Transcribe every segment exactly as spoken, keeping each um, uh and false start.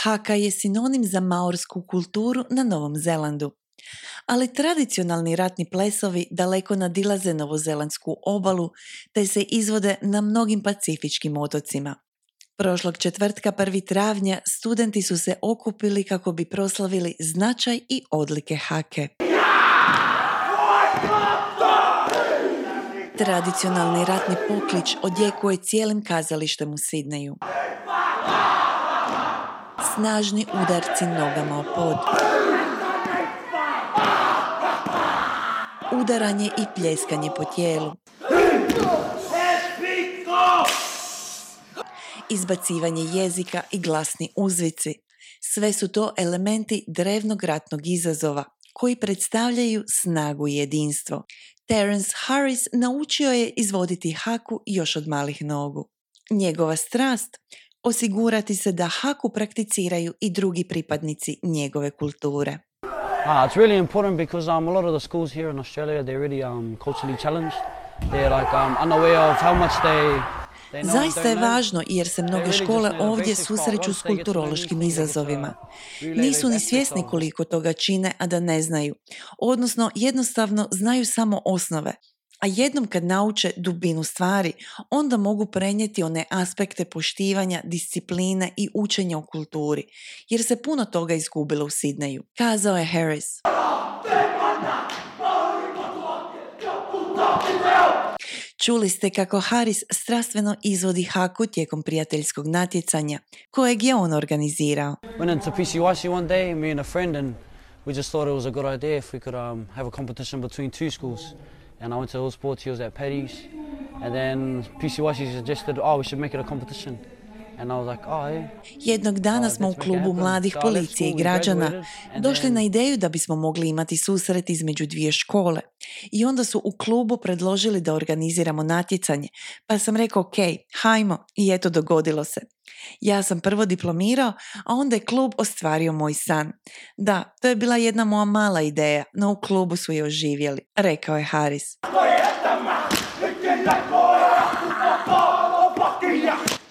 Haka je sinonim za maorsku kulturu na Novom Zelandu. Ali tradicionalni ratni plesovi daleko nadilaze novozelandsku obalu te se izvode na mnogim pacifičkim otocima. Prošlog četvrtka prvog travnja studenti su se okupili kako bi proslavili značaj i odlike hake. Tradicionalni ratni poklič odjekuje cijelim kazalištem u Sidneju. Snažni udarci nogama o pod. Udaranje i pljeskanje po tijelu. Izbacivanje jezika i glasni uzvici. Sve su to elementi drevnog ratnog izazova koji predstavljaju snagu i jedinstvo. Terence Harris naučio je izvoditi haku još od malih nogu. Njegova strast osigurati se da haku prakticiraju i drugi pripadnici njegove kulture. Uh, it's really important because um, a lot of the schools here in Australia, they're really um, culturally challenged. They're like um, unaware of how much they... Zaista je važno jer se mnoge škole ovdje susreću s kulturološkim izazovima. Nisu ni svjesni koliko toga čine, a da ne znaju. Odnosno, jednostavno znaju samo osnove. A jednom kad nauče dubinu stvari, onda mogu prenijeti one aspekte poštivanja, discipline i učenja o kulturi, jer se puno toga izgubilo u Sidneju, kazao je Harris. Čuli ste kako Harris strastveno izvodi haku tijekom prijateljskog natjecanja, kojeg je on organizirao. Went into P C Y C one day, me and a friend, and we just thought it was a good idea if we could um, have a competition between two schools. And I went to all sports, he was at Paddy's, and then P C Y C suggested, oh, we should make it a competition. And I was like, oh, yeah. Jednog dana smo u klubu mladih policije i građana došli na ideju da bismo mogli imati susret između dvije škole. I onda su u klubu predložili da organiziramo natjecanje, pa sam rekao, ok, hajmo, i eto dogodilo se. Ja sam prvo diplomirao, a onda je klub ostvario moj san. Da, to je bila jedna moja mala ideja, no u klubu su je oživjeli, rekao je Harris.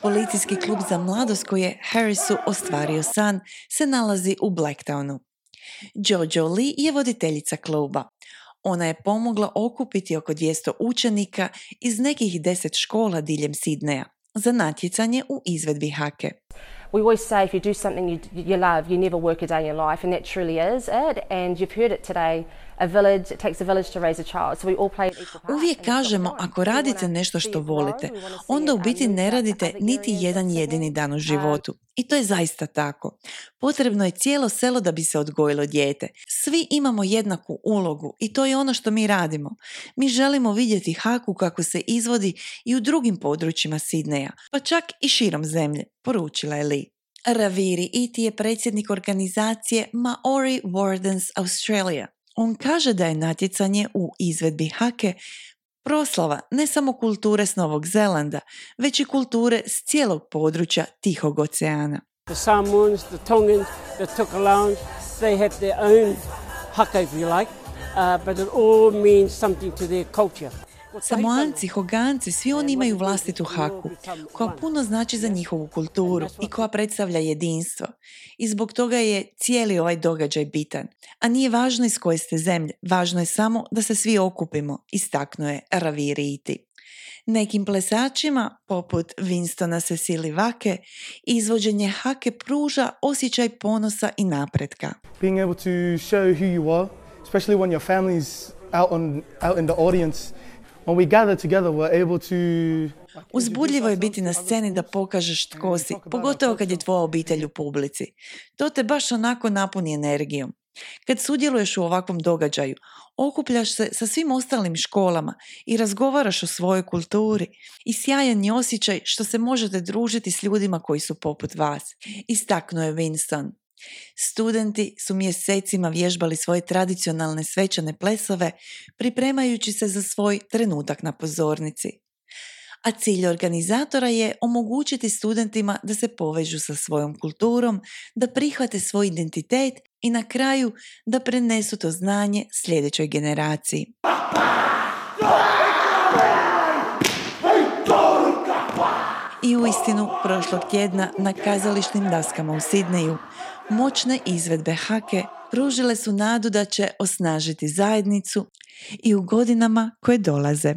Policijski klub za mladost koji je Harrisu ostvario san se nalazi u Blacktownu. Jojo Lee je voditeljica kluba. Ona je pomogla okupiti oko dvjesto učenika iz nekih deset škola diljem Sidneja za natjecanje u izvedbi hake. We always say if you do something you, you love, you never work a day in your life, and that truly is it. And you've heard it today. A village, it takes a village to raise a child. So we all play equal part. Uvijek kažemo, ako radite nešto što volite, onda u biti ne radite niti jedan jedini dan u životu. I to je zaista tako. Potrebno je cijelo selo da bi se odgojilo dijete. Svi imamo jednaku ulogu i to je ono što mi radimo. Mi želimo vidjeti haku kako se izvodi i u drugim područjima Sidneja, pa čak i širom zemlje, poručila je Lee. Raviri Iti je predsjednik organizacije Maori Wardens Australia. On kaže da je natjecanje u izvedbi hake proslava ne samo kulture s Novog Zelanda, već i kulture s cijelog područja Tihog oceana. The Samoans, the Tongans, the Tokelauans, they have their own haka if you like, uh, but it all means something to their culture. Samoanci, Hoganci, svi oni imaju vlastitu haku, koja puno znači za njihovu kulturu i koja predstavlja jedinstvo. I zbog toga je cijeli ovaj događaj bitan. A nije važno iz koje ste zemlje, važno je samo da se svi okupimo, istaknuo je Raviri Iti. Nekim plesačima, poput Winstona Cecily Vake, izvođenje hake pruža osjećaj ponosa i napretka. Being able to show who you are, especially when your family's out on out in the audience. When we gather together, we're able to... Uzbudljivo je biti na sceni da pokažeš tko si, pogotovo kad je tvoja obitelj u publici. To te baš onako napuni energijom. Kad sudjeluješ u ovakvom događaju, okupljaš se sa svim ostalim školama i razgovaraš o svojoj kulturi i sjajan je osjećaj što se možete družiti s ljudima koji su poput vas, istaknuo je Winston. Studenti su mjesecima vježbali svoje tradicionalne svečane plesove, pripremajući se za svoj trenutak na pozornici. A cilj organizatora je omogućiti studentima da se povežu sa svojom kulturom, da prihvate svoj identitet i na kraju da prenesu to znanje sljedećoj generaciji. I uistinu prošlog tjedna na kazališnim daskama u Sidneju moćne izvedbe hake pružile su nadu da će osnažiti zajednicu i u godinama koje dolaze.